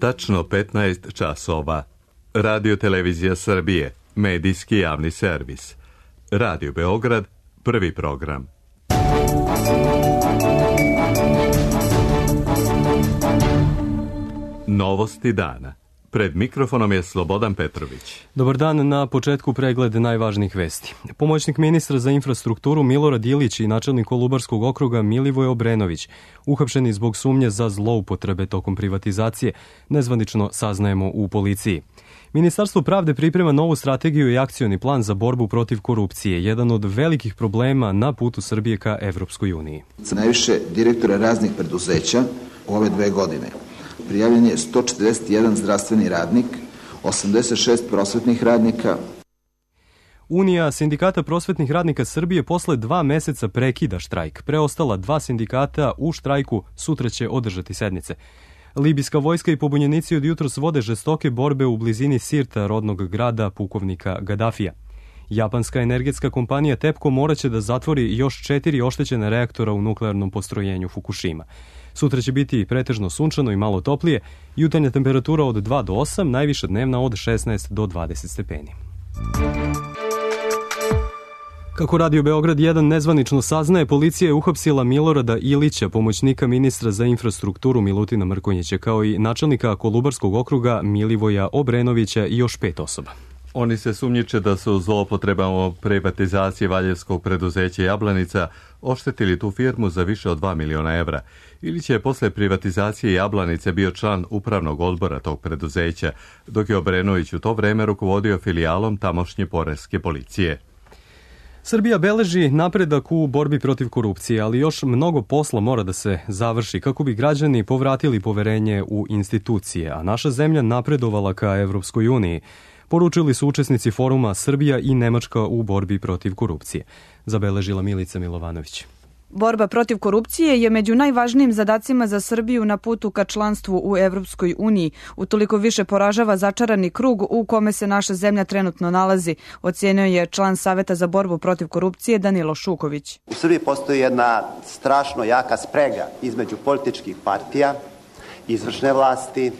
tačno 15 časova. Radio Televizija Srbije, medijski javni servis. Radio Beograd, prvi program. Novosti dana. Pred mikrofonom je Slobodan Petrović. Dobar dan, na početku pregled najvažnijih vesti. Pomoćnik ministra za infrastrukturu Milorad Ilić i načelnik Kolubarskog okruga Milivoj Obrenović uhapšeni zbog sumnje za zloupotrebe tokom privatizacije, nezvanično saznajemo u policiji. Ministarstvo pravde priprema novu strategiju i akcioni plan za borbu protiv korupcije, jedan od velikih problema na putu Srbije ka Evropskoj uniji. Najviše direktora raznih preduzeća u ove 2 godine. Prijavljen je 141 zdravstveni radnik, 86 prosvetnih radnika. Unija sindikata prosvetnih radnika Srbije posle 2 meseca prekida štrajk. Preostala 2 sindikata u štrajku sutra će održati sednice. Libijska vojska i pobunjenici od jutros vode žestoke borbe u blizini Sirta, rodnog grada pukovnika Gadafija. Japanska energetska kompanija TEPCO moraće da zatvori još 4 oštećene reaktora u nuklearnom postrojenju Fukushima. Sutra će biti pretežno sunčano i malo toplije, jutarnja temperatura od 2 do 8, najviša dnevna od 16 do 20 stepeni. Kako Radio Beograd 1 nezvanično saznaje, policija je uhapsila Milorada Ilića, pomoćnika ministra za infrastrukturu Milutina Mrkonjića, kao i načelnika Kolubarskog okruga Milivoja Obrenovića i još 5 osoba. Oni se sumnjiče da su zloupotrebama privatizacije valjevskog preduzeća Jablanica oštetili tu firmu za više od 2 miliona evra. Ilić je posle privatizacije Jablanice bio član upravnog odbora tog preduzeća, dok je Obrenović u to vreme rukovodio filijalom tamošnje poreske policije. Srbija beleži napredak u borbi protiv korupcije, ali još mnogo posla mora da se završi kako bi građani povratili poverenje u institucije, a naša zemlja napredovala ka Evropskoj uniji. Poručili su učesnici foruma Srbija i Nemačka u borbi protiv korupcije, zabeležila Milica Milovanović. Borba protiv korupcije je među najvažnijim zadacima za Srbiju na putu ka članstvu u Evropskoj uniji. Utoliko više poražava začarani krug u kome se naša zemlja trenutno nalazi, ocenio je član Saveta za borbu protiv korupcije Danilo Šuković. U Srbiji postoji jedna strašno jaka sprega između političkih partija, izvršne vlasti,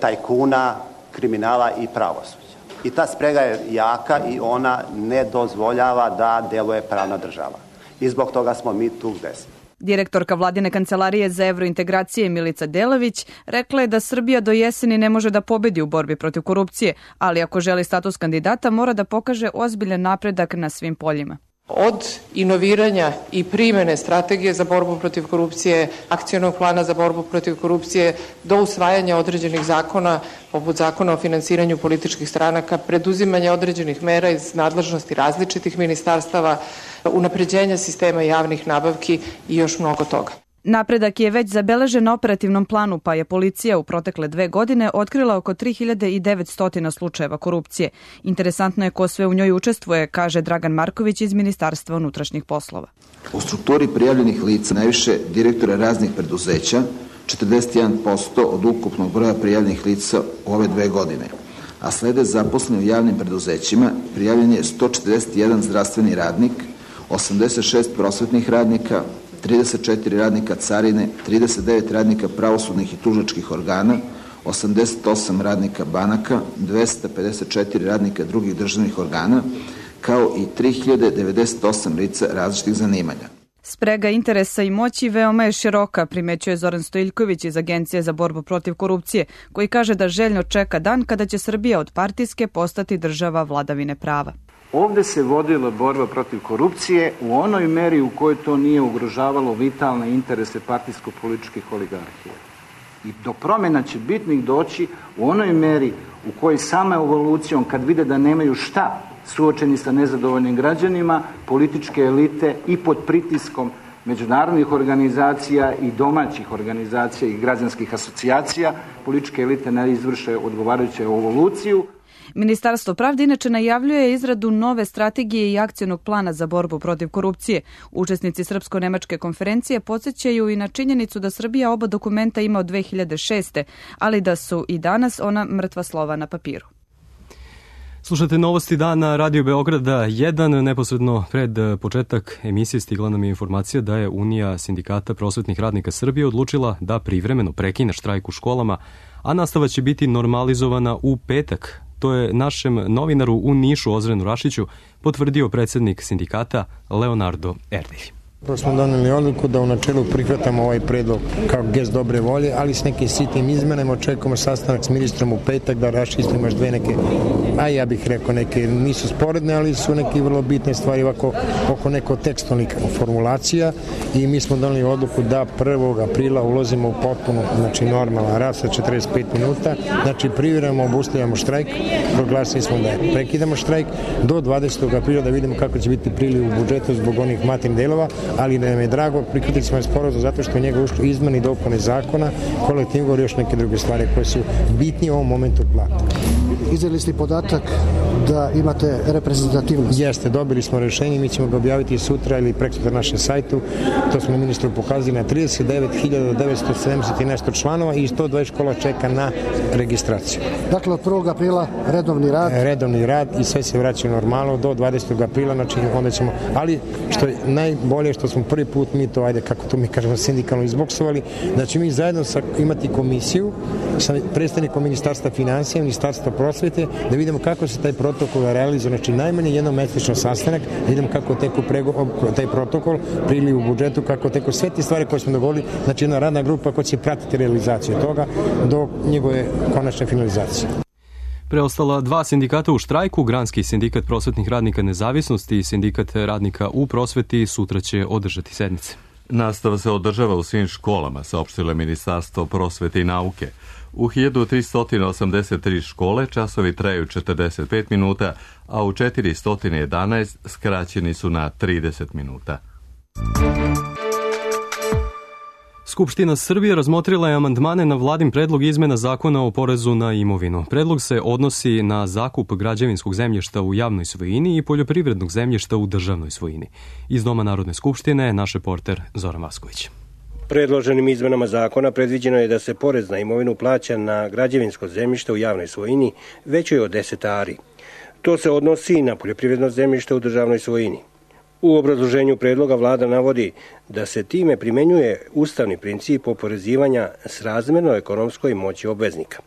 tajkuna, kriminala i pravosuđa. I ta sprega je jaka i ona ne dozvoljava da deluje pravna država. I zbog toga smo mi tu gde smo. Direktorka Vladine kancelarije za evrointegracije Milica Delavić rekla je da Srbija do jeseni ne može da pobedi u borbi protiv korupcije, ali ako želi status kandidata mora da pokaže ozbiljan napredak na svim poljima. Od inoviranja i primene strategije za borbu protiv korupcije, akcionog plana za borbu protiv korupcije, do usvajanja određenih zakona, poput zakona o finansiranju političkih stranaka, preduzimanja određenih mera iz nadležnosti različitih ministarstava, unapređenja sistema javnih nabavki i još mnogo toga. Napredak je već zabeležen na operativnom planu, pa je policija u protekle 2 godine otkrila oko 3900 slučajeva korupcije. Interesantno je ko sve u njoj učestvuje, kaže Dragan Marković iz Ministarstva unutrašnjih poslova. U strukturi prijavljenih lica najviše direktora raznih preduzeća, 41% od ukupnog broja prijavljenih lica u ove 2 godine, a slede zaposleni u javnim preduzećima, prijavljen je 141 zdravstveni radnik, 86 prosvetnih radnika, 34 radnika carine, 39 radnika pravosudnih i tužilačkih organa, 88 radnika banaka, 254 radnika drugih državnih organa, kao i 3098 lica različitih zanimanja. Sprega interesa i moći veoma je široka, primećuje Zoran Stojiljković iz Agencije za borbu protiv korupcije, koji kaže da željno čeka dan kada će Srbija od partijske postati država vladavine prava. Ovde se vodila borba protiv korupcije u onoj meri u kojoj to nije ugrožavalo vitalne interese partijsko-političkih oligarhija. I do promjena će bitnih doći u onoj meri u kojoj sama evolucijom, kad vide da nemaju šta, suočeni sa nezadovoljnim građanima, političke elite i pod pritiskom međunarodnih organizacija i domaćih organizacija i građanskih asocijacija, političke elite ne izvrše odgovarajuću evoluciju. Ministarstvo pravde inače najavljuje izradu nove strategije i akcionog plana za borbu protiv korupcije. Učesnici Srpsko-nemačke konferencije podsjećaju i na činjenicu da Srbija oba dokumenta ima od 2006. ali da su i danas ona mrtva slova na papiru. Slušate novosti dana Radio Beograda 1. Neposredno pred početak emisije stigla nam je informacija da je Unija sindikata prosvetnih radnika Srbije odlučila da privremeno prekine štrajk u školama, a nastava će biti normalizovana u petak. To je našem novinaru u Nišu Ozrenu Rašiću potvrdio predsednik sindikata Leonardo Erdelj. Smo doneli odluku da u načelu prihvatamo ovaj predlog kao gest dobre volje, ali s nekim sitnim izmenama. Očekujemo sastanak s ministrom u petak da raščistimo još dve neke, a ja bih rekao neke nisu sporedne, ali su neke vrlo bitne stvari oko neko tekstualnih formulacija i mi smo doneli odluku da 1. aprila ulazimo u potpuno, znači normalan rad sa 45 minuta, znači privremeno obustavljamo štrajk, proglasili smo da prekidamo štrajk do 20. aprila da vidimo kako će biti priliv u budžetu zbog onih materijalnih delova, ali da nam je drago, prihvatili smo sporazum zato što je njega ušlo izmene i dopune zakona, kolektivni ugovor i još neke druge stvari koje su bitnije u ovom momentu od plata. Izdali ste podatak da imate reprezentativnost? Jeste, dobili smo rešenje, mi ćemo ga objaviti sutra ili prekosutra na našem sajtu. To smo ministru pokazali na 39.970 i nešto članova i 120 škola čeka na registraciju. Dakle, od 1. aprila redovni rad? Redovni rad i sve se vraća normalno do 20. aprila, znači onda ćemo, ali što je najbolje što smo prvi put mi to, ajde kako to mi kažemo, sindikalno izboksovali, znači mi zajedno imati komisiju sa predstavnikom Ministarstva finansija, Ministarstva prosvete, da vidimo kako se taj protokol realizuje, znači najmanje jednomesečno sastanak, da vidimo kako teku taj protokol, priliv u budžetu, kako teku sve te stvari koje smo dogovorili, znači jedna radna grupa koja će pratiti realizaciju toga do njegove konačne finalizacije. Preostala dva sindikata u štrajku, Granski sindikat prosvetnih radnika Nezavisnosti i sindikat radnika u prosveti, sutra će održati sednice. Nastava se održava u svim školama, saopštilo je Ministarstvo prosvete i nauke. U 1383 škole časovi traju 45 minuta, a u 411 skraćeni su na 30 minuta. Skupština Srbije razmotrila je amandmane na vladin predlog izmena zakona o porezu na imovinu. Predlog se odnosi na zakup građevinskog zemljišta u javnoj svojini i poljoprivrednog zemljišta u državnoj svojini. Iz Doma Narodne skupštine naš reporter Zoran Vasković. Predloženim izmenama zakona predviđeno je da se porez na imovinu plaća na građevinsko zemljište u javnoj svojini većoj od 10 ari. To se odnosi i na poljoprivredno zemljište u državnoj svojini. U obrazloženju predloga vlada navodi da se time primenjuje ustavni princip oporezivanja srazmerno ekonomskoj moći obveznika.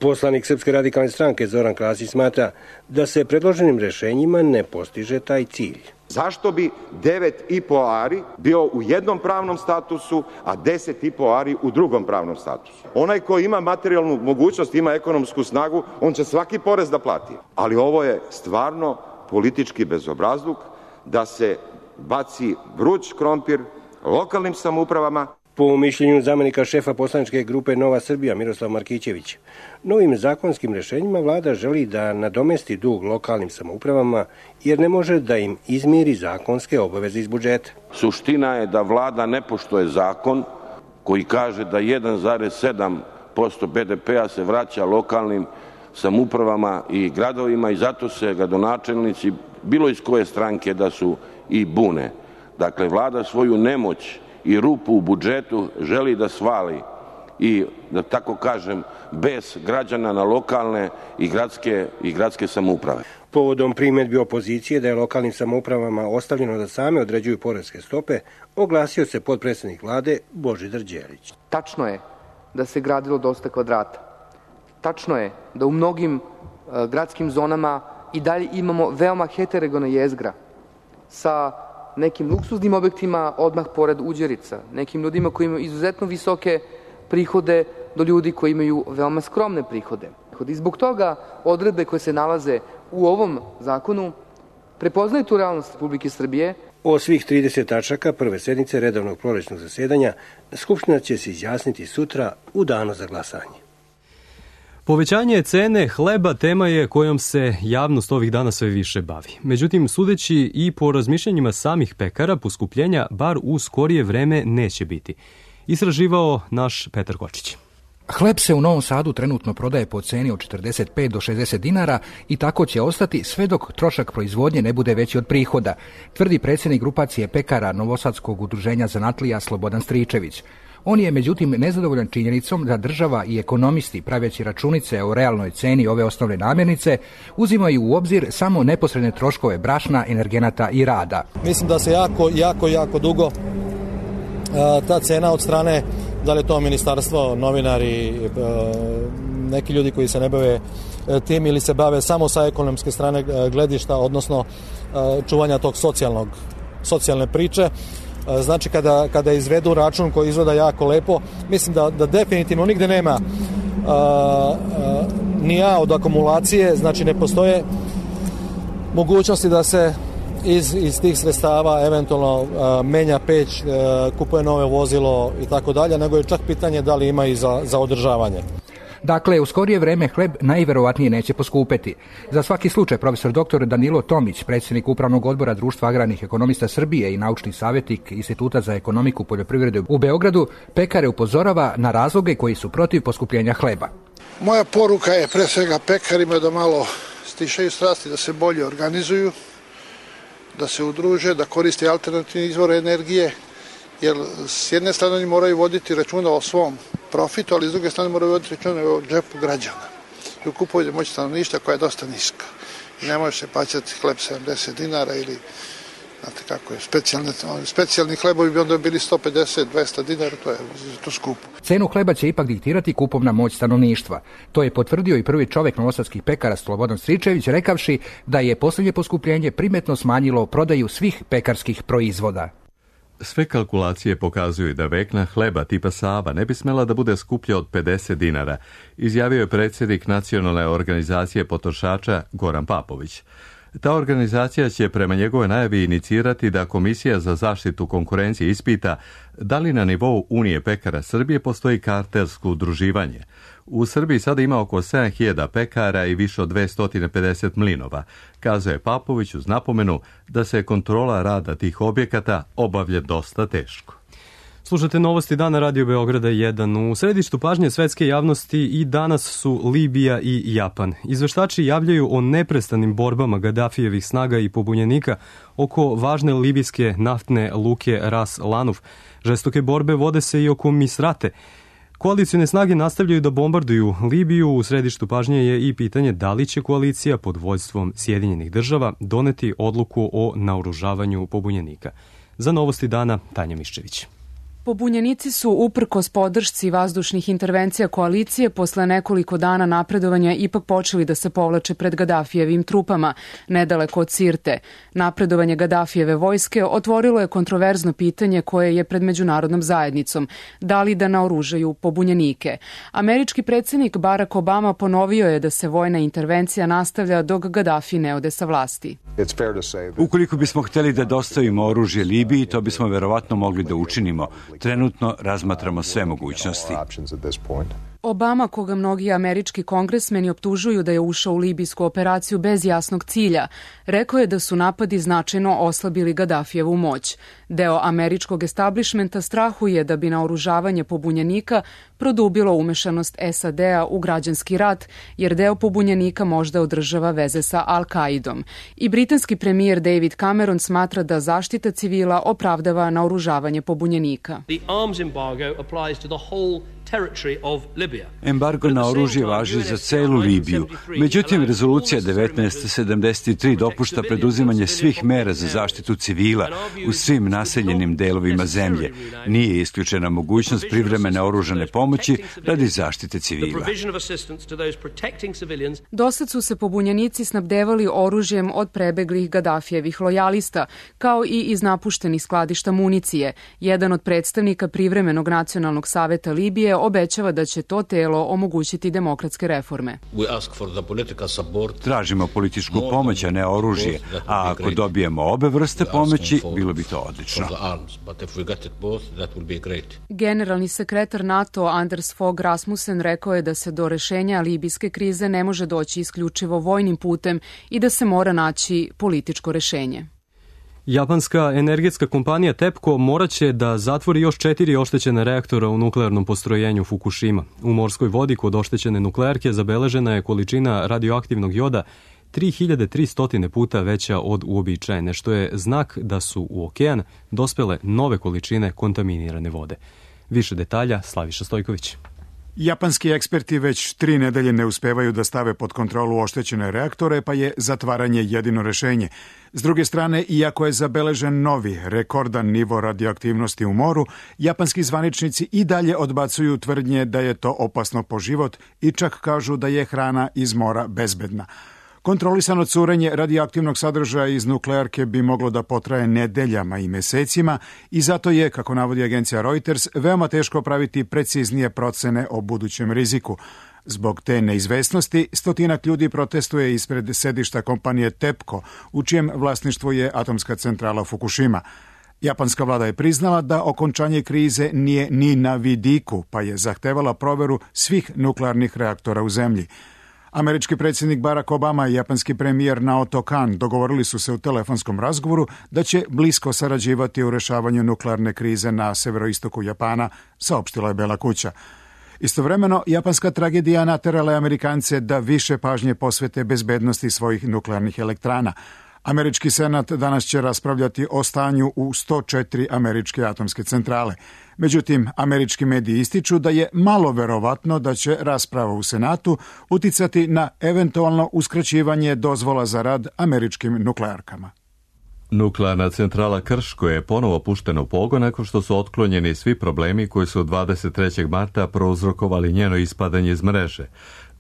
Poslanik Srpske radikalne stranke Zoran Krasić smatra da se predloženim rešenjima ne postiže taj cilj. Zašto bi 9,5 ari bio u jednom pravnom statusu, a 10,5 ari u drugom pravnom statusu? Onaj ko ima materijalnu mogućnost, ima ekonomsku snagu, on će svaki porez da plati. Ali ovo je stvarno politički bezobrazluk da se baci vruć krompir lokalnim samoupravama. Po mišljenju zamenika šefa poslaničke grupe Nova Srbija Miroslav Markićević, novim zakonskim rešenjima vlada želi da nadomesti dug lokalnim samoupravama jer ne može da im izmiri zakonske obaveze iz budžeta. Suština je da vlada ne poštuje zakon koji kaže da 1,7% BDP-a se vraća lokalnim samoupravama i gradovima i zato se gradonačelnici bilo iz koje stranke da su i bune. Dakle, vlada svoju nemoć i rupu u budžetu želi da svali i, da tako kažem, bez građana na lokalne i gradske samouprave. Povodom primedbi opozicije da je lokalnim samoupravama ostavljeno da same određuju poreske stope, oglasio se potpredsednik vlade Božidar Đelić. Tačno je da se gradilo dosta kvadrata. Tačno je da u mnogim gradskim zonama i dalje imamo veoma heterogena jezgra sa nekim luksuznim objektima odmah pored Uđerica, nekim ljudima koji imaju izuzetno visoke prihode do ljudi koji imaju veoma skromne prihode. I zbog toga odredbe koje se nalaze u ovom zakonu prepoznaju tu realnost Republike Srbije. O svih 30 tačaka prve sednice redovnog prolećnog zasedanja Skupština će se izjasniti sutra u danu za glasanje. Povećanje cene hleba tema je kojom se javnost ovih dana sve više bavi. Međutim, sudeći i po razmišljanjima samih pekara, poskupljenja bar u skorije vreme neće biti. Istraživao naš Petar Kočić. Hleb se u Novom Sadu trenutno prodaje po ceni od 45 do 60 dinara i tako će ostati sve dok trošak proizvodnje ne bude veći od prihoda, tvrdi predsjednik grupacije pekara Novosadskog udruženja zanatlija Slobodan Stričević. On je međutim nezadovoljan činjenicom da država i ekonomisti, praveći računice o realnoj ceni ove osnovne namirnice, uzimaju u obzir samo neposredne troškove brašna, energenata i rada. Mislim da se jako dugo ta cena od strane, da li je to ministarstvo, novinari, neki ljudi koji se ne bave tim ili se bave samo sa ekonomske strane gledišta, odnosno čuvanja tog socijalne priče. Znači kada izvedu račun koji izgleda jako lepo, mislim da definitivno nigde nema ni A od akumulacije, znači ne postoje mogućnosti da se iz tih sredstava eventualno menja peć, kupuje nove vozilo i tako dalje, nego je čak pitanje da li ima i za održavanje. Dakle, u skorije vreme hleb najverovatnije neće poskupeti. Za svaki slučaj profesor dr. Danilo Tomić, predsjednik Upravnog odbora Društva agrarnih ekonomista Srbije i naučni savjetnik Instituta za ekonomiku poljoprivrede u Beogradu, pekare upozorava na razloge koji su protiv poskupljenja hleba. Moja poruka je pre svega pekarima da malo stišaju strasti, da se bolje organizuju, da se udruže, da koriste alternativne izvore energije, jer s jedne strane oni moraju voditi računa o svom profitu, ali s druge strane moraju voditi računa o džepu građana i u kupovnoj moći stanovništva koja je dosta niska. I ne može se plaćati hleb 70 dinara ili, znate kako je, specijalni hlebovi bi onda bili 150-200 dinara, to je to skupo. Cenu hleba će ipak diktirati kupovna moć stanovništva. To je potvrdio i prvi čovjek novosadskih pekara Slobodan Stričević, rekavši da je posljednje poskupljenje primetno smanjilo prodaju svih pekarskih proizvoda. Sve kalkulacije pokazuju da vekna hleba tipa Sava ne bi smela da bude skuplja od 50 dinara, izjavio je predsjednik Nacionalne organizacije potrošača Goran Papović. Ta organizacija će prema njegove najavi inicirati da Komisija za zaštitu konkurencije ispita da li na nivou Unije pekara Srbije postoji kartelsko udruživanje. U Srbiji sada ima oko 7.000 pekara i više od 250 mlinova, kazuje Papović uz napomenu da se kontrola rada tih objekata obavlja dosta teško. Slušate novosti dana Radio Beograda 1. U središtu pažnje svetske javnosti i danas su Libija i Japan. Izveštači javljaju o neprestanim borbama Gadafijevih snaga i pobunjenika oko važne libijske naftne luke Ras Lanuf. Žestoke borbe vode se i oko Misrate. Koalicijne snage nastavljaju da bombarduju Libiju. U središtu pažnje je i pitanje da li će koalicija pod vođstvom Sjedinjenih država doneti odluku o naoružavanju pobunjenika. Za novosti dana Tanja Miščević. Pobunjenici su uprkos podršci vazdušnih intervencija koalicije posle nekoliko dana napredovanja ipak počeli da se povlače pred Gadafijevim trupama, nedaleko od Sirte. Napredovanje Gadafijeve vojske otvorilo je kontroverzno pitanje koje je pred međunarodnom zajednicom, da li da naoružaju pobunjenike. Američki predsjednik Barack Obama ponovio je da se vojna intervencija nastavlja dok Gadafi ne ode sa vlasti. Ukoliko bismo htjeli da dostavimo oružje Libiji, to bismo verovatno mogli da učinimo. Trenutno razmatramo sve mogućnosti. Obama, koga mnogi američki kongresmeni optužuju da je ušao u libijsku operaciju bez jasnog cilja, rekao je da su napadi značajno oslabili Gadafijevu moć. Deo američkog establishmenta strahuje da bi naoružavanje pobunjenika produbilo umešanost SAD-a u građanski rat, jer deo pobunjenika možda održava veze sa Al-Kaidom. I britanski premijer David Cameron smatra da zaštita civila opravdava naoružavanje pobunjenika. Embargo na oružje važi za celu Libiju. Međutim, rezolucija 1973 dopušta preduzimanje svih mera za zaštitu civila u svim naseljenim delovima zemlje. Nije isključena mogućnost privremene oružane pomoći radi zaštite civila. Dosad su se pobunjenici snabdevali oružjem od prebeglih Gadafijevih lojalista, kao i iz napuštenih skladišta municije. Jedan od predstavnika Privremenog nacionalnog saveta Libije obećava da će to telo omogućiti demokratske reforme. Tražimo političku pomoć, a ne oružje, a ako dobijemo obe vrste pomoći, bilo bi to odlično. Generalni sekretar NATO Anders Fogh Rasmussen rekao je da se do rešenja libijske krize ne može doći isključivo vojnim putem i da se mora naći političko rešenje. Japanska energetska kompanija TEPCO moraće da zatvori još 4 oštećene reaktora u nuklearnom postrojenju Fukushima. U morskoj vodi kod oštećene nuklearke zabeležena je količina radioaktivnog joda 3300 puta veća od uobičajene, što je znak da su u okean dospele nove količine kontaminirane vode. Više detalja Slaviša Stojković. Japanski eksperti već 3 nedelje ne uspevaju da stave pod kontrolu oštećene reaktore, pa je zatvaranje jedino rešenje. S druge strane, iako je zabeležen novi, rekordan nivo radioaktivnosti u moru, japanski zvaničnici i dalje odbacuju tvrdnje da je to opasno po život i čak kažu da je hrana iz mora bezbedna. Kontrolisano curenje radioaktivnog sadržaja iz nuklearke bi moglo da potraje nedeljama i mesecima i zato je, kako navodi agencija Reuters, veoma teško praviti preciznije procene o budućem riziku. Zbog te neizvesnosti, stotinak ljudi protestuje ispred sedišta kompanije TEPCO, u čijem vlasništvu je atomska centrala Fukushima. Japanska vlada je priznala da okončanje krize nije ni na vidiku, pa je zahtevala proveru svih nuklearnih reaktora u zemlji. Američki predsjednik Barack Obama i japanski premijer Naoto Kan dogovorili su se u telefonskom razgovoru da će blisko sarađivati u rešavanju nuklearne krize na severoistoku Japana, saopštila je Bela kuća. Istovremeno, japanska tragedija naterala je Amerikance da više pažnje posvete bezbednosti svojih nuklearnih elektrana. Američki senat danas će raspravljati o stanju u 104 američke atomske centrale. Međutim, američki mediji ističu da je malo verovatno da će rasprava u Senatu uticati na eventualno uskraćivanje dozvola za rad američkim nuklearkama. Nuklearna centrala Krško je ponovo puštena u pogon nakon što su otklonjeni svi problemi koji su 23. marta prouzrokovali njeno ispadanje iz mreže.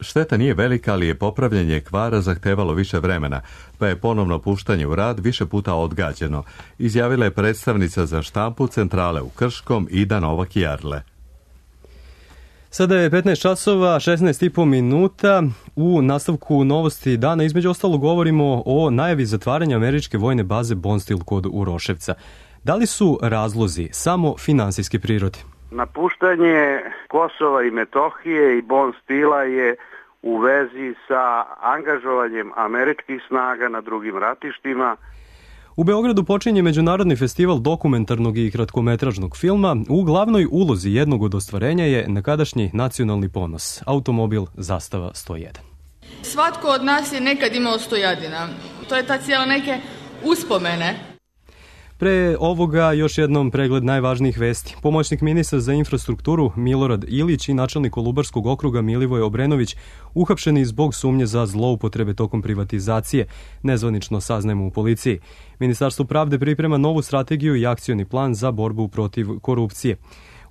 Šteta nije velika, ali je popravljanje kvara zahtevalo više vremena, pa je ponovno puštanje u rad više puta odgađeno, izjavila je predstavnica za štampu centrale u Krškom Ida Novak-Jarle. Sada je 15 časova, 16,5 minuta. U nastavku novosti dana između ostalo govorimo o najavi zatvaranja američke vojne baze Bonstil kod Uroševca. Da li su razlozi samo finansijske prirode? Napuštanje Kosova i Metohije i Bonstila je u vezi sa angažovanjem američkih snaga na drugim ratištima. U Beogradu počinje Međunarodni festival dokumentarnog i kratkometražnog filma. U glavnoj ulozi jednog od ostvarenja je nekadašnji nacionalni ponos, automobil Zastava 101. Svatko od nas je nekad imao stojadina. To je ta cijela neke uspomene. Pre ovoga još jednom pregled najvažnijih vesti. Pomoćnik ministra za infrastrukturu Milorad Ilić i načelnik Kolubarskog okruga Milivoje Obrenović uhapšeni zbog sumnje za zloupotrebe tokom privatizacije, nezvanično saznajemo u policiji. Ministarstvo pravde priprema novu strategiju i akcioni plan za borbu protiv korupcije.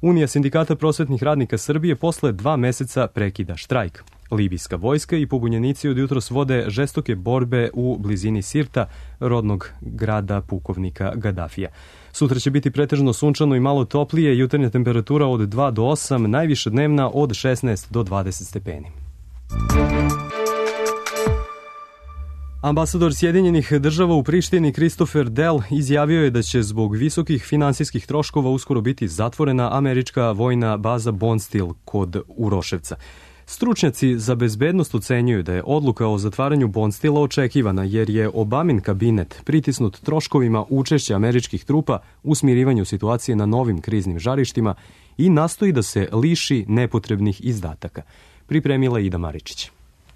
Unija sindikata prosvetnih radnika Srbije posle 2 meseca prekida štrajk. Libijska vojska i pobunjenici od jutros vode žestoke borbe u blizini Sirta, rodnog grada pukovnika Gadafija. Sutra će biti pretežno sunčano i malo toplije, jutarnja temperatura od 2 do 8, najviša dnevna od 16 do 20 stepeni. Ambasador Sjedinjenih država u Prištini Christopher Dell izjavio je da će zbog visokih finansijskih troškova uskoro biti zatvorena američka vojna baza Bonstil kod Uroševca. Stručnjaci za bezbednost ocenjuju da je odluka o zatvaranju Bonstila očekivana jer je Obamin kabinet pritisnut troškovima učešća američkih trupa u smirivanju situacije na novim kriznim žarištima i nastoji da se liši nepotrebnih izdataka. Pripremila Ida Maričić.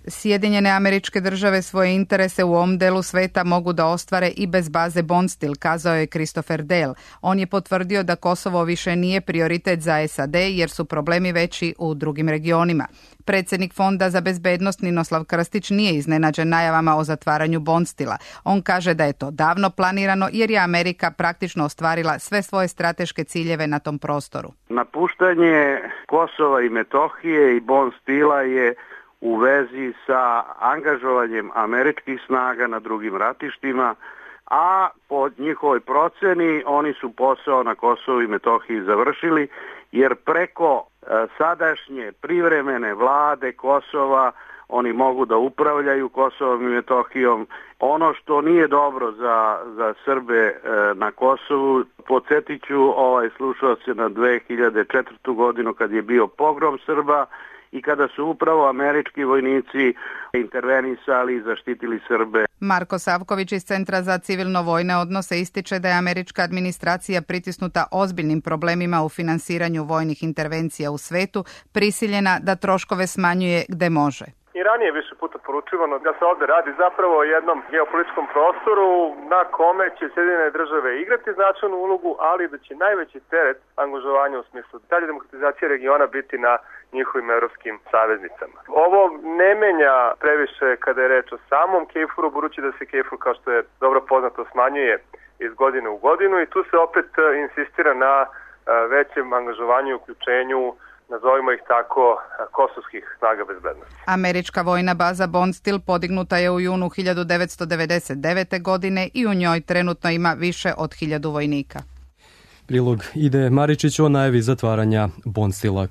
Sjedinjene Američke Države svoje interese u ovom delu sveta mogu da ostvare i bez baze Bonstil, kazao je Christopher Dell. On je potvrdio da Kosovo više nije prioritet za SAD jer su problemi veći u drugim regionima. Predsjednik Fonda za bezbednost Ninoslav Krstić nije iznenađen najavama o zatvaranju Bonstila. On kaže da je to davno planirano jer je Amerika praktično ostvarila sve svoje strateške ciljeve na tom prostoru. Napuštanje Kosova i Metohije i Bonstila je u vezi sa angažovanjem američkih snaga na drugim ratištima, a po njihovoj proceni oni su posao na Kosovu i Metohiji završili, jer preko sadašnje privremene vlade Kosova oni mogu da upravljaju Kosovom i Metohijom. Ono što nije dobro za Srbe na Kosovu, podsjetit ću slušao se na 2004. godinu kad je bio pogrom Srba, i kada su upravo američki vojnici intervenisali i zaštitili Srbe. Marko Savković iz Centra za civilno-vojne odnose ističe da je američka administracija pritisnuta ozbiljnim problemima u finansiranju vojnih intervencija u svetu, prisiljena da troškove smanjuje gde može. ranije više puta poručivano da se ovde radi zapravo o jednom geopolitičkom prostoru na kome će Sjedinjene države igrati značajnu ulogu, ali da će najveći teret angažovanja u smislu dalje demokratizacije regiona biti na njihovim evropskim saveznicama. Ovo ne menja previše kada je reč o samom KFOR-u, budući da se KFOR, kao što je dobro poznato, smanjuje iz godine u godinu i tu se opet insistira na većem angažovanju i uključenju, nazovimo ih tako, kosovskih snaga bezbednosti. Američka vojna baza Bondsteel podignuta je u junu 1999. godine i u njoj trenutno ima više od 1000 vojnika. Prilog ide Maričić o najavi zatvaranja Bondsteela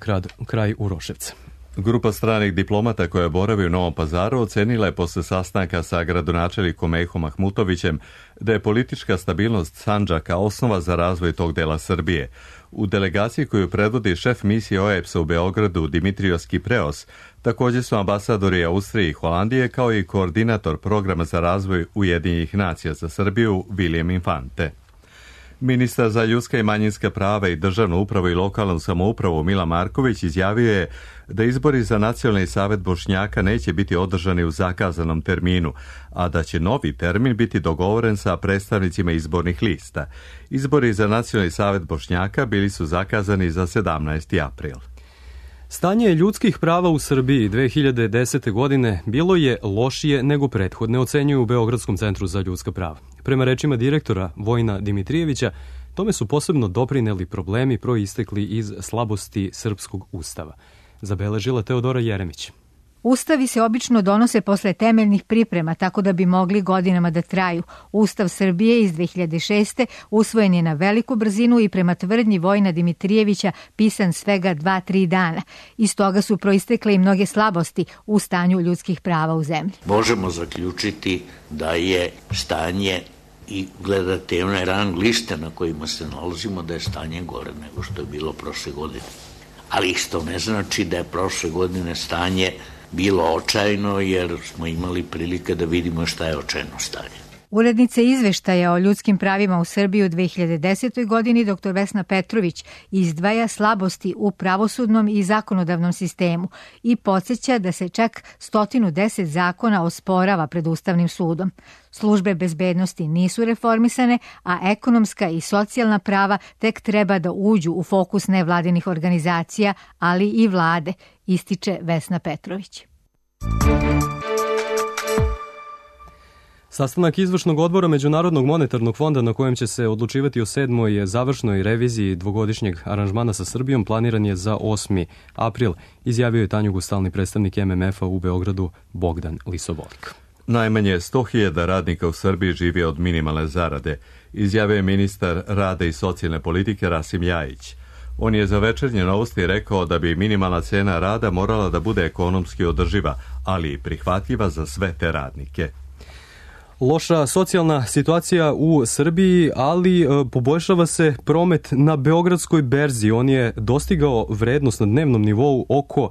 kraj Uroševca. Grupa stranih diplomata koja boravi u Novom Pazaru ocenila je posle sastanka sa gradonačelnikom Mejhom Mahmutovićem da je politička stabilnost Sandžaka osnova za razvoj tog dela Srbije. U delegaciji koju predvodi šef misije OEBS-a u Beogradu Dimitrios Kipreos također su ambasadori Austrije i Holandije kao i koordinator programa za razvoj Ujedinjenih nacija za Srbiju William Infante. Ministar za ljudska i manjinska prava i državnu upravu i lokalnu samoupravu Mila Marković izjavio je da izbori za Nacionalni savet Bošnjaka neće biti održani u zakazanom terminu, a da će novi termin biti dogovoren sa predstavnicima izbornih lista. Izbori za Nacionalni savet Bošnjaka bili su zakazani za 17. april. Stanje ljudskih prava u Srbiji 2010. godine bilo je lošije nego prethodne, ocenjuju u Beogradskom centru za ljudska prava. Prema rečima direktora Vojina Dimitrijevića, tome su posebno doprineli problemi proistekli iz slabosti srpskog ustava. Zabeležila Teodora Jeremić. Ustavi se obično donose posle temeljnih priprema, tako da bi mogli godinama da traju. Ustav Srbije iz 2006. usvojen je na veliku brzinu i prema tvrdnji Vojina Dimitrijevića pisan svega 2-3 dana. Iz toga su proistekle i mnoge slabosti u stanju ljudskih prava u zemlji. Možemo zaključiti da je stanje i gledate one rang liste na kojima se nalazimo, da je stanje gore nego što je bilo prošle godine. Ali isto ne znači da je prošle godine stanje bilo očajno, jer smo imali prilike da vidimo šta je očajno stanje. Urednica izveštaja o ljudskim pravima u Srbiji u 2010. godini dr. Vesna Petrović izdvaja slabosti u pravosudnom i zakonodavnom sistemu i podsjeća da se čak 110 zakona osporava pred Ustavnim sudom. Službe bezbednosti nisu reformisane, a ekonomska i socijalna prava tek treba da uđu u fokus nevladinih organizacija, ali i vlade, ističe Vesna Petrović. Sastanak izvršnog odbora Međunarodnog monetarnog fonda na kojem će se odlučivati o 7. završnoj reviziji dvogodišnjeg aranžmana sa Srbijom planiran je za 8. april, izjavio je Tanjugu stalni predstavnik MMF-a u Beogradu Bogdan Lisovolik. Najmanje 100.000 radnika u Srbiji živi od minimalne zarade, izjavio je ministar rada i socijalne politike Rasim Ljajić. On je za Večernje novosti rekao da bi minimalna cena rada morala da bude ekonomski održiva, ali i prihvatljiva za sve te radnike. Loša socijalna situacija u Srbiji, ali poboljšava se promet na Beogradskoj berzi. On je dostigao vrednost na dnevnom nivou oko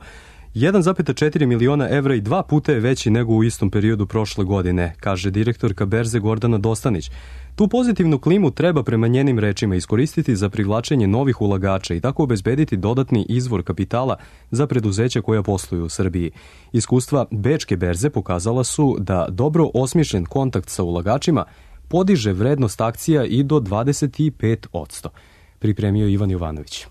1,4 miliona evra i 2 puta je veći nego u istom periodu prošle godine, kaže direktorka berze Gordana Dostanić. Tu pozitivnu klimu treba prema njenim rečima iskoristiti za privlačenje novih ulagača i tako obezbediti dodatni izvor kapitala za preduzeća koja posluju u Srbiji. Iskustva Bečke berze pokazala su da dobro osmišljen kontakt sa ulagačima podiže vrednost akcija i do 25%. Pripremio Ivan Jovanović.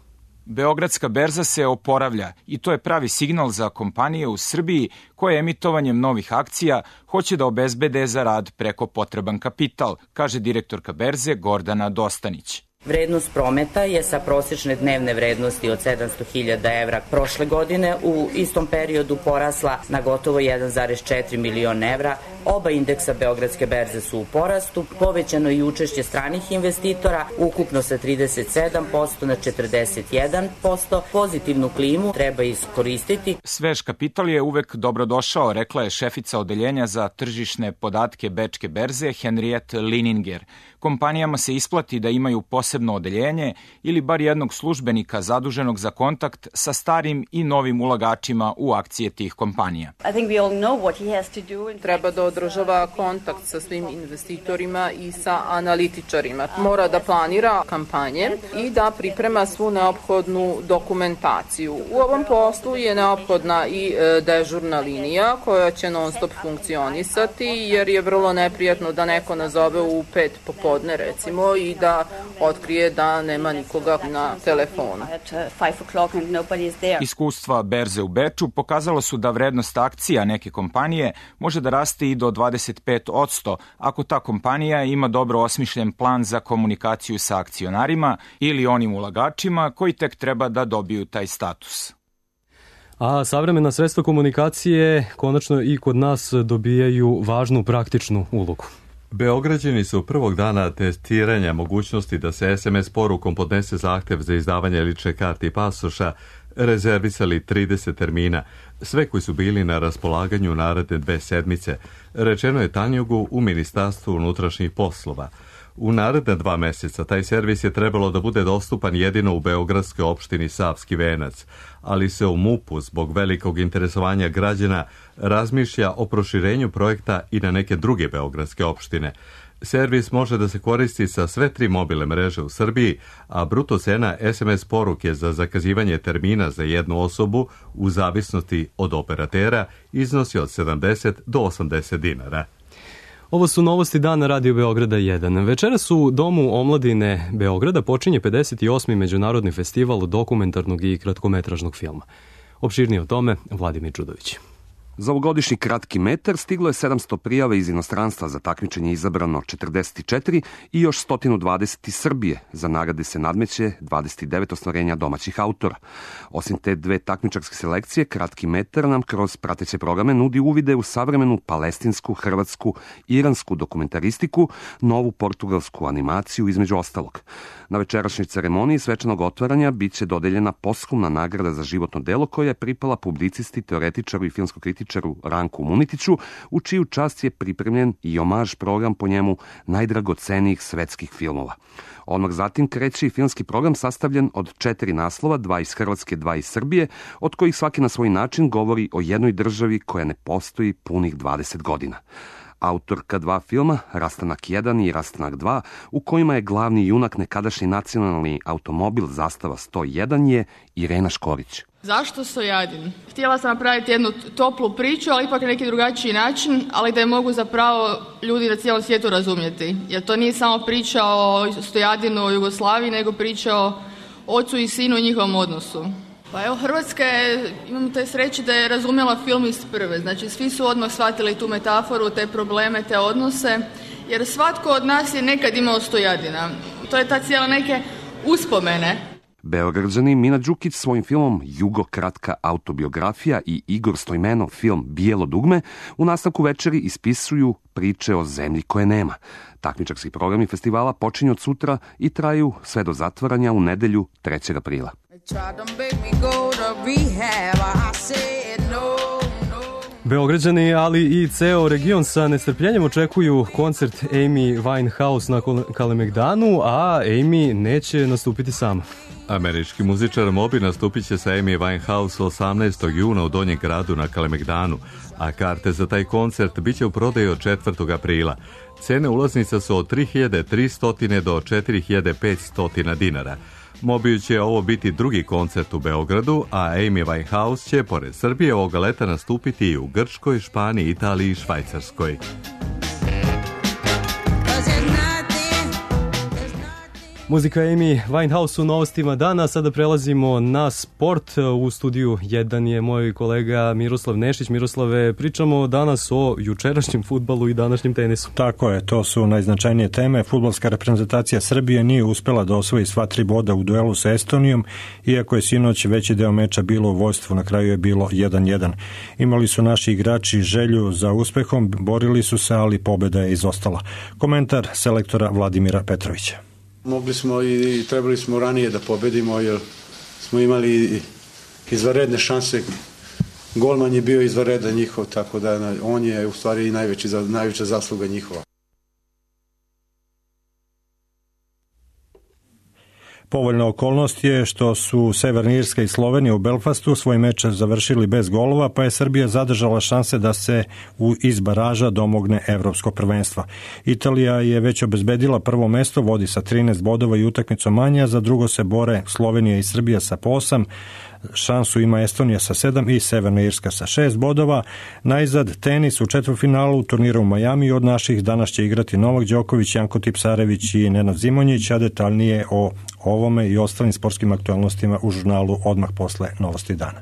Beogradska berza se oporavlja i to je pravi signal za kompanije u Srbiji koje emitovanjem novih akcija hoće da obezbede za rad preko potreban kapital, kaže direktorka berze Gordana Dostanić. Vrednost prometa je sa prosječne dnevne vrednosti od 700.000 evra prošle godine u istom periodu porasla na gotovo 1,4 miliona evra. Oba indeksa Beogradske berze su u porastu, povećano i učešće stranih investitora, ukupno sa 37% na 41%. Pozitivnu klimu treba iskoristiti. Svež kapital je uvek dobrodošao, rekla je šefica odeljenja za tržišne podatke Bečke berze Henriette Lininger. Kompanijama se isplati da imaju posebno odeljenje ili bar jednog službenika zaduženog za kontakt sa starim i novim ulagačima u akcije tih kompanija. Treba da održava kontakt sa svim investitorima i sa analitičarima. Mora da planira kampanje i da priprema svu neophodnu dokumentaciju. U ovom poslu je neophodna i dežurna linija koja će non stop funkcionisati, jer je vrlo neprijatno da neko nazove u 5 popodne recimo i da otkrije da nema nikoga na telefonu. Iskustva berze u Beču pokazalo su da vrednost akcija neke kompanije može da raste i do 25% ako ta kompanija ima dobro osmišljen plan za komunikaciju sa akcionarima ili onim ulagačima koji tek treba da dobiju taj status. A savremena sredstva komunikacije konačno i kod nas dobijaju važnu praktičnu ulogu. Beograđani su prvog dana testiranja mogućnosti da se SMS porukom podnese zahtev za izdavanje lične karte i pasoša rezervisali 30 termina, sve koji su bili na raspolaganju naredne 2 sedmice, rečeno je Tanjugu u Ministarstvu unutrašnjih poslova. U naredne 2 meseca taj servis je trebalo da bude dostupan jedino u beogradskoj opštini Savski Venac, ali se u MUP-u zbog velikog interesovanja građana razmišlja o proširenju projekta i na neke druge beogradske opštine. Servis može da se koristi sa sve 3 mobilne mreže u Srbiji, a bruto cena SMS poruke za zakazivanje termina za jednu osobu u zavisnosti od operatera iznosi od 70 do 80 dinara. Ovo su novosti dana Radio Beograda 1. Večeras u Domu omladine Beograda počinje 58. Međunarodni festival dokumentarnog i kratkometražnog filma. Opširnije o tome Vladimir Čudović. Za ovogodišnji kratki metar stiglo je 700 prijava iz inostranstva, za takmičenje izabrano 44 i još 120 iz Srbije. Za nagrade se nadmeće 29 ostvarenja domaćih autora. Osim te 2 takmičarske selekcije, kratki metar nam kroz prateće programe nudi uvide u savremenu palestinsku, hrvatsku, iransku dokumentaristiku, novu portugalsku animaciju između ostalog. Na večerašnjoj ceremoniji svečanog otvaranja biće dodeljena posthumna nagrada za životno delo koja je pripala publicisti, teoretičaru i filmsko-kritičaru Ranku Munitiću, u čiju čast je pripremljen i omaž program po njemu najdragocenijih svetskih filmova. Odmah zatim kreće i filmski program sastavljen od 4 naslova, 2 iz Hrvatske, 2 iz Srbije, od kojih svaki na svoj način govori o jednoj državi koja ne postoji punih 20 godina. Autorka 2 filma, Rastanak 1 i Rastanak 2, u kojima je glavni junak nekadašnji nacionalni automobil Zastava 101 je Irena Škorić. Zašto Stojadin? Htjela sam napraviti jednu toplu priču, ali ipak na neki drugačiji način, ali da je mogu zapravo ljudi na cijelom svijetu razumjeti. Jer to nije samo priča o Stojadinu, o Jugoslaviji, nego priča o ocu i sinu i njihovom odnosu. Pa evo, Hrvatska je, imam te sreće da je razumjela film iz prve. Znači, svi su odmah shvatili tu metaforu, te probleme, te odnose, jer svatko od nas je nekad imao Stojadina. To je ta cijela neke uspomene. Beograđani Mina Đukić svojim filmom Jugo kratka autobiografija i Igor Stojmenov film Bijelo dugme u nastavku večeri ispisuju priče o zemlji koje nema. Takmičarski programi festivala počinju od sutra i traju sve do zatvaranja u nedelju 3. aprila. Beograđani, ali i ceo region sa nestrpljenjem očekuju koncert Amy Winehouse na Kalemegdanu, a Amy neće nastupiti sama. Američki muzičar Moby nastupit će sa Amy Winehouse 18. juna u Donjem gradu na Kalemegdanu, a karte za taj koncert bit će u prodaju od 4. aprila. Cene ulaznica su od 3.300 do 4.500 dinara. Mobiju će ovo biti drugi koncert u Beogradu, a Amy Winehouse će pored Srbije ovoga leta nastupiti i u Grčkoj, Španiji, Italiji i Švajcarskoj. Muzika Amy Winehouse u novostima dana. Sada prelazimo na sport. U studiju 1 je moj kolega Miroslav Nešić. Miroslave, pričamo danas o jučerašnjem fudbalu i današnjem tenisu. Tako je, to su najznačajnije teme. Fudbalska reprezentacija Srbije nije uspela da osvoji sva 3 boda u duelu sa Estonijom, iako je sinoć veći deo meča bilo u vojstvu, na kraju je bilo 1-1. Imali su naši igrači želju za uspehom, borili su se, ali pobeda je izostala. Komentar selektora Vladimira Petrovića. Mogli smo i trebali smo ranije da pobedimo, jer smo imali izvanredne šanse. Golman je bio izvanredan njihov, tako da on je u stvari i najveća zasluga njihova. Povoljna okolnost je što su Severna Irska i Slovenija u Belfastu svoj meč završili bez golova, pa je Srbija zadržala šanse da se iz baraža domogne evropskog prvenstva. Italija je već obezbedila prvo mesto, vodi sa 13 bodova i utakmicom manje, za drugo se bore Slovenija i Srbija sa po 8, šansu ima Estonija sa 7 i Severna Irska sa 6 bodova. Najzad tenis u četvrtfinalu turnira u Majami. Od naših danas će igrati Novak Đoković, Janko Tipsarević i Nenad Zimonjić, a detaljnije o ovome i ostalim sportskim aktualnostima u žurnalu odmah posle Novosti dana.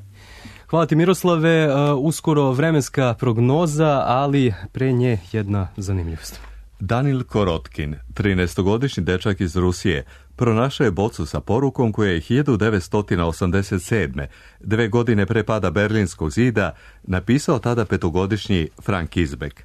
Hvala ti Miroslave, uskoro vremenska prognoza, ali pre nje jedna zanimljivost. Danil Korotkin, 13-godišnji dečak iz Rusije, pronašao je bocu sa porukom koja je 1987. 2 godine pre pada Berlinskog zida, napisao tada 5-godišnji Frank Izbek.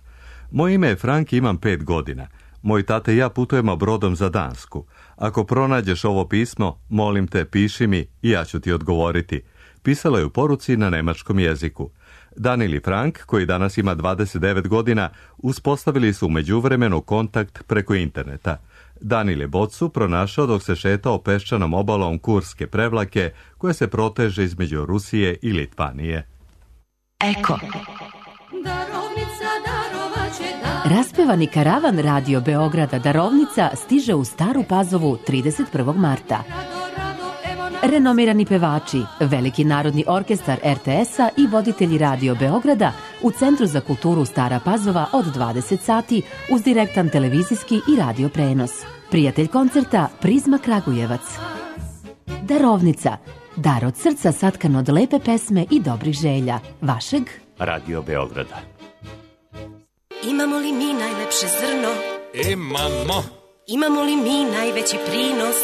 Moje ime je Frank, imam 5 godina. Moj tata i ja putujemo brodom za Dansku. Ako pronađeš ovo pismo, molim te, piši mi i ja ću ti odgovoriti. Pisala je u poruci na nemačkom jeziku. Danil i Frank, koji danas ima 29 godina, uspostavili su u međuvremenu kontakt preko interneta. Danil je bocu pronašao dok se šetao peščanom obalom Kurske prevlake, koja se proteže između Rusije i Litvanije. Eko. Raspevani karavan Radio Beograda Darovnica stiže u Staru Pazovu 31. marta. Renomirani pevači, Veliki narodni orkestar RTS-a i voditelji Radio Beograda u Centru za kulturu Stara Pazova od 20 sati uz direktan televizijski i radio prenos. Prijatelj koncerta Prizma Kragujevac. Darovnica, dar od srca satkan od lepe pesme i dobrih želja. Vašeg Radio Beograda. Imamo li mi najlepše zrno? Imamo. Imamo li mi najveći prinos?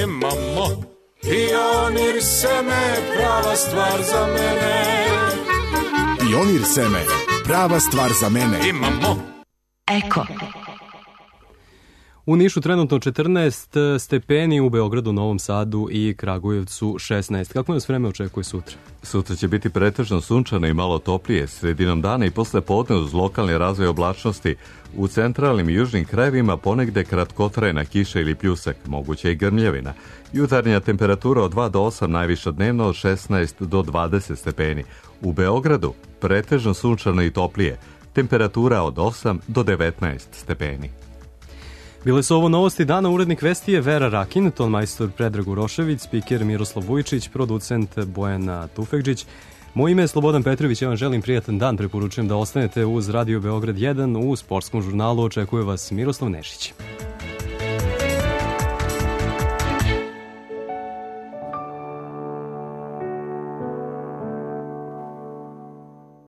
Imamo. Pionir seme, prava stvar za mene. Pionir seme, prava stvar za mene. Imamo. Eko. U Nišu trenutno 14 stepeni, u Beogradu, Novom Sadu i Kragujevcu 16. Kako nas vreme očekuje sutra? Sutra će biti pretežno sunčano i malo toplije, sredinom dana i posle podne uz lokalni razvoj oblačnosti. U centralnim i južnim krajevima ponegde kratkotrajna kiša ili pljusak, moguće i grmljevina. Jutarnja temperatura od 2 do 8, najviša dnevno od 16 do 20 stepeni. U Beogradu pretežno sunčano i toplije, temperatura od 8 do 19 stepeni. Bile su ovo novosti dana, urednik vesti je Vera Rakin, tonmajstor Predrag Urošević, spiker Miroslav Vujčić, producent Bojana Tufekđić. Moje ime je Slobodan Petrović, ja vam želim prijatan dan, preporučujem da ostanete uz Radio Beograd 1, u sportskom žurnalu očekuje vas Miroslav Nešić.